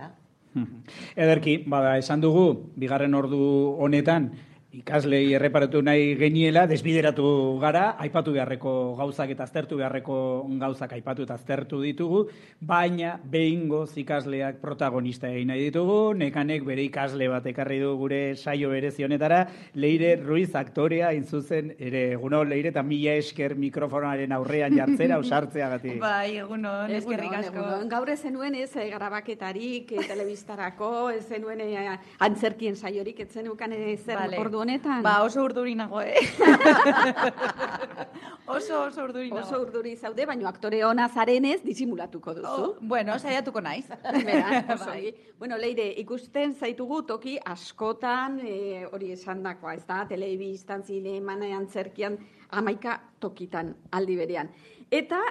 dela. Ederki, bada, esan dugu, bigarren ordu honetan, ikaslei erreparatu nahi geniela, desbideratu gara, aipatu beharreko gauzak eta aztertu beharreko gauzak aipatu eta aztertu ditugu, baina behingoz ikasleak protagonista egin nahi ditugu, Nekanek bere ikasle bat ekarri du gure saio berezi honetara, Leire Ruiz aktorea intzuzen ere, egunon Leire, eta mila esker mikrofonaren aurrean jartzera, ausartzeagatik. Bai, egunon, eskerrik asko. Gaur ez zenuen ez grabaketarik, telebistarako, ez zenuen antzerkien saiorik, ez zenukan zer ordu honetan? Ba, oso urduri nago, oso urduri nago. Oso urduri zaude, baina aktore ona zarenez disimulatuko duzu. Bueno, saiatuko naiz. Bai. Bueno, Leire, ikusten zaitugu toki askotan, hori esandakoa, ez da, telebistan, zineman, antzerkian, 11 tokitan aldi berean. Eta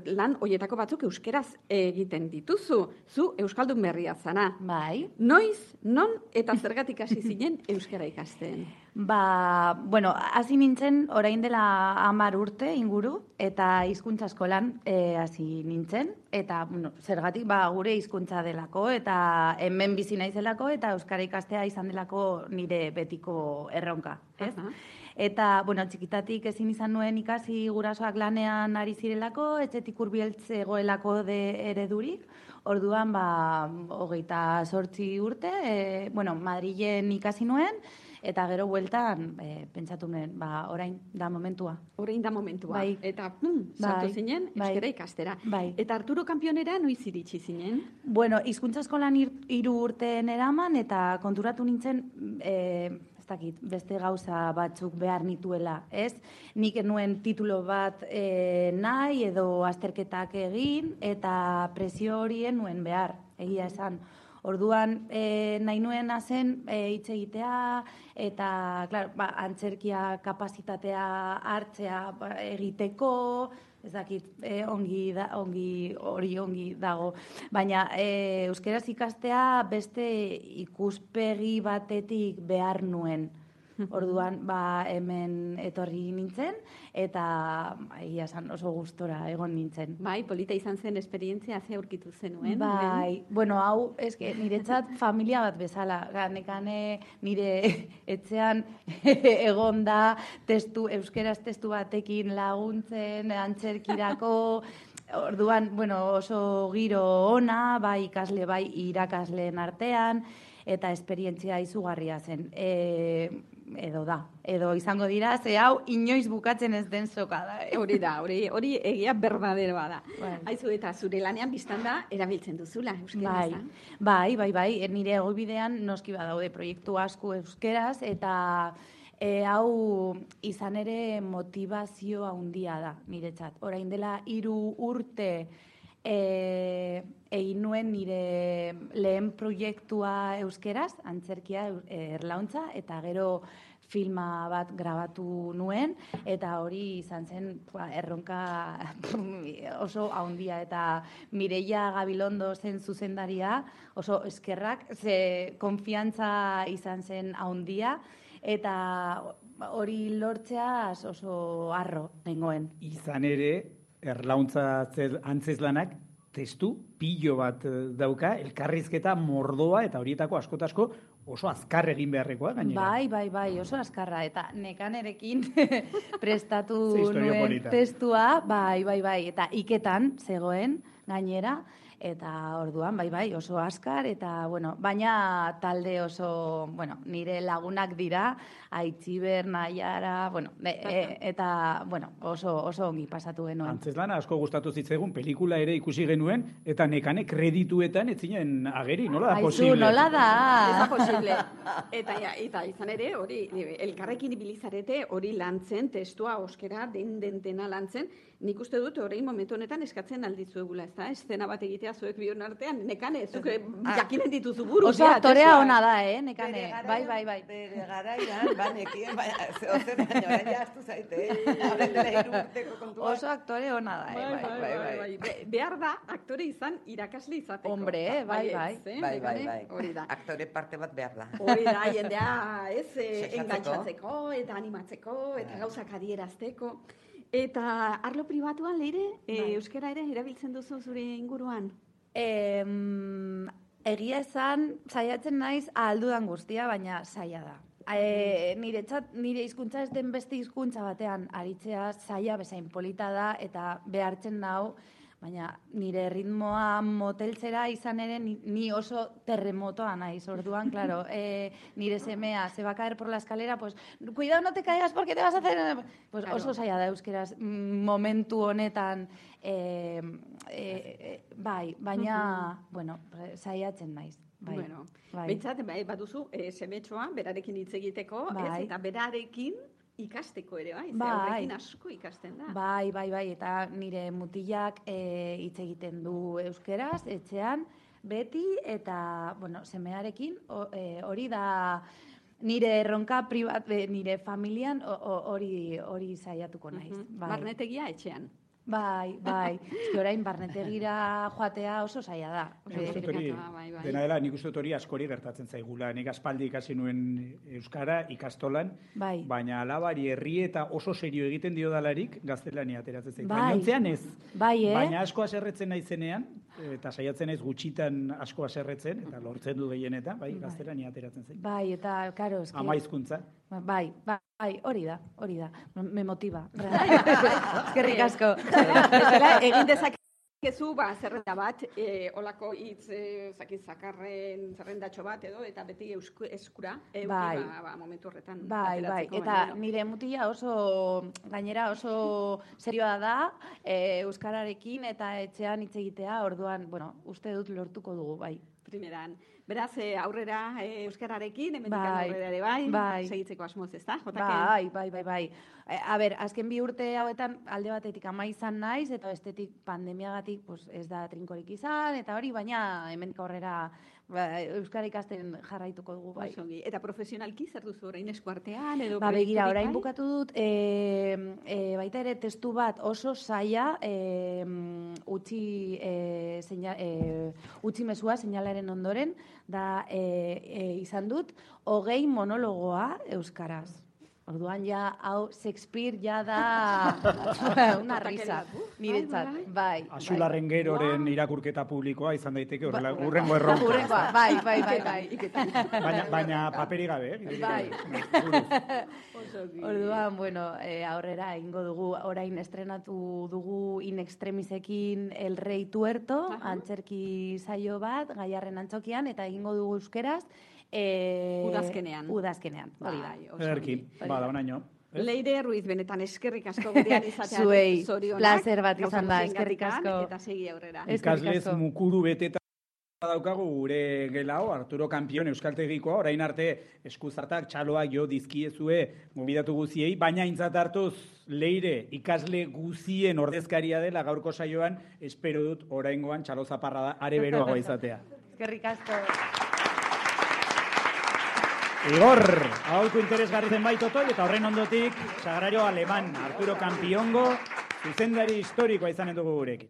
lan hoietako batzuk euskeraz egiten dituzu. Zu euskaldun berria zana. Bai. Noiz, non eta zergatik hasi zinen euskara ikasten? Ba, bueno, hasi nintzen orain dela 10 urte inguru eta hizkuntza eskolan hasi nintzen eta bueno, zergatik ba gure hizkuntza delako eta hemen bizi naizelako eta euskara ikastea izan delako nire betiko erronka, ez? Eta, bueno, txikitatik ezin izan nuen ikasi gurasoak lanean ari zirelako, etxetik hurbiltzegoelako eredurik. Orduan, 28 urte, Madrilen ikasi nuen, eta gero bueltan, pentsatu nuen, orain da momentua. Orain da momentua. Bai. Eta, sartu zinen, euskara ikastera. Bai. Eta Arturo Kanpionera noiz iritsi zinen? Bueno, hizkuntza eskolan 3 urte eraman, eta konturatu nintzen, beste gauza batzuk behar nituela, ez? Nik nuen titulo bat nahi edo azterketak egin eta presio horien nuen behar, egia esan. Orduan nahi nuen zen hitz egitea eta, claro, antzerkia kapazitatea hartzea egiteko, ez dakit, ongi dago. Baina euskeraz ikastea beste ikuspegi batetik behar nuen. Orduan, hemen etorri nintzen, eta egia esan oso gustora egon nintzen. Bai, polita izan zen esperientzia, ze aurkitu zenuen? Bai, bueno, hau, niretzat familia bat bezala. Nekane nire etxean egon da euskeraz testu batekin laguntzen, antzerkirako. Orduan, bueno, oso giro ona, bai ikasle, bai irakasleen artean, eta esperientzia izugarria zen. Edo izango dira, ze hau inoiz bukatzen ez den soka da. Hori egia berdaderoa da. Haizu eta zure lanean biztan da, erabiltzen duzula euskeraz. Bai, nire egobidean noski badaude proiektu asko euskeraz, eta hau izan ere motivazio handia da niretzat. Orain dela 3 urte egin nuen nire lehen proiektua euskeraz, antzerkia erlauntza, eta gero filma bat grabatu nuen, eta hori izan zen erronka oso handia, eta Mireia Gabilondo zen zuzendaria, oso eskerrak, ze konfiantza izan zen handia, eta hori lortzeaz oso harro nengoen. Izan ere, erlauntza antzezlanak testu pilo bat dauka, elkarrizketa mordoa eta horietako asko oso azkar egin beharrekoa gainera. Bai, oso azkarra, eta Nekanerekin prestatu nuen testua, bai, eta iketan zegoen gainera, eta orduan, bai, oso azkar, eta, baina talde oso, nire lagunak dira, Aitziber, Naiara, eta, oso ongi pasatu genuen. Antzezlana asko gustatu zitzaigun, pelikula ere ikusi genuen, eta Nekane kredituetan ez zinen ageri, nola da posible? Aizu, nola da? Ez da posible. Eta izan ere, hori, elkarrekin ibilizarete hori lantzen, testua oskera, dena lantzen, nik uste dut horrein momentu honetan eskatzen alditzuegula, ez da? Eszena bat egitea zuek bion artean, Nekane, zuk jakinen dituzu buru. Oso aktorea ona da, Nekane? Bai. Bere garaian, banekien, ozer baina, orain jaztu zaite, horren dela 3 urteko kontua. Oso aktore ona da, bai. Behar da, aktore izan irakasle izateko. Hombre, bai. Hori da. Aktore parte bat behar da. Hori da, jendea, engantzatzeko, eta animatzeko, eta gauzak adierazteko. Eta arlo pribatuan, Leire, euskara ere erabiltzen duzu zure inguruan? Egia esan, saiatzen naiz ahaldudan guztia, baina zaila da. Nire hizkuntza ez den beste hizkuntza batean aritzea zaila bezain polita da eta behartzen nau, baina nire ritmoa moteltzera izan ere ni oso terremotoa naiz. Orduan, claro, nire semea se va a caer por la escalera, pues cuidado no te caigas porque te vas a hacer... Pues oso zaila da euskeraz momentu honetan bai, baina, bueno, saiatzen naiz. Bai, bueno, behintzat, baduzu, semetxoa, berarekin hitz egiteko, eta berarekin ikasteko ere, horrekin asko ikasten da. Bai, eta nire mutilak hitz egiten du euskeraz, etxean, beti, eta, bueno, semearekin, hori da nire erronka privat, nire familian, hori saiatuko naiz. Barnetegia etxean. Bai. Orain barnetegira joatea oso zaila da. Dena dela, nik uste hori askori gertatzen zaigula. Nik aspaldi ikasi nuen euskara ikastolan, baina alabari herri eta oso serio egiten dio dalarik gaztelania ateratzen zaigu. Baina ontzean ez. Baina asko aserretzen naizenean, eta saiatzen ez gutxitan asko aserretzen, eta lortzen du gehienetan, gaztelania ateratzen zaigu. Bai, eta, karo, eski... Ama hizkuntza. Bai, hori da. Me motiva. Eskerrik asko. Egin dezakezu, zerrenda bat, olako hitz, zakarren zerrendatxo bat edo, eta beti eskura, momentu horretan. Bai, eta nire mutila gainera oso serioa da, euskararekin eta etxean hitz egitea, orduan, bueno, uste dut lortuko dugu, bai. Primeran. Beraz, aurrera euskararekin, hemendik aurrera ere segitzeko asmoz, ez da? Bai. A ber, azken 2 urte hauetan alde batetik ama izan naiz, eta bestetik pandemiagatik ez da trinkorik izan, eta hori, baina hemendik aurrera euskara ikasten jarraituko dugu, bai. Eta profesionalki zer duzu orain eskuartean? Begira, orain bukatu dut, baita ere testu bat oso zaila utzi mezua seinalaren ondoren, da izan dut 20 monologoa euskaraz. Orduan hau Shakespeare da una risa, niretzat, bai. Axularren geroren irakurketa publikoa izan daiteke urrengo erronka. Bai. Baina paperi gabe, Bai. Orduan, bueno, aurrera egingo dugu, orain estrenatu dugu In Extremisekin El Rey Tuerto, antzerki saio bat, Gaiarren antzokian, eta egingo dugu euskeraz, Udazkenean, hori da. Ederki, bada, onaino. Leire Ruiz, benetan eskerrik asko gurean izatea. Zuei, placer bat izan da, eskerrik asko. Eta segi aurrera. Ikaslez mukuru beteta daukagu gure gelao, Arturo Kampion euskaltegikoa, orain arte eskuzartak txaloak jo dizkiezue gobidatu guziei, baina aintzat hartuz Leire ikasle guzien ordezkaria dela gaurko saioan, espero dut oraingoan txalo zaparra da are beroagoa izatea. Eskerrik asko. Igor, aholku interesgarri zenbait otoi, eta horren ondotik, sagrario aleman, Arturo Kampiongo, zuzendari historikoa izanen dugu gurekin.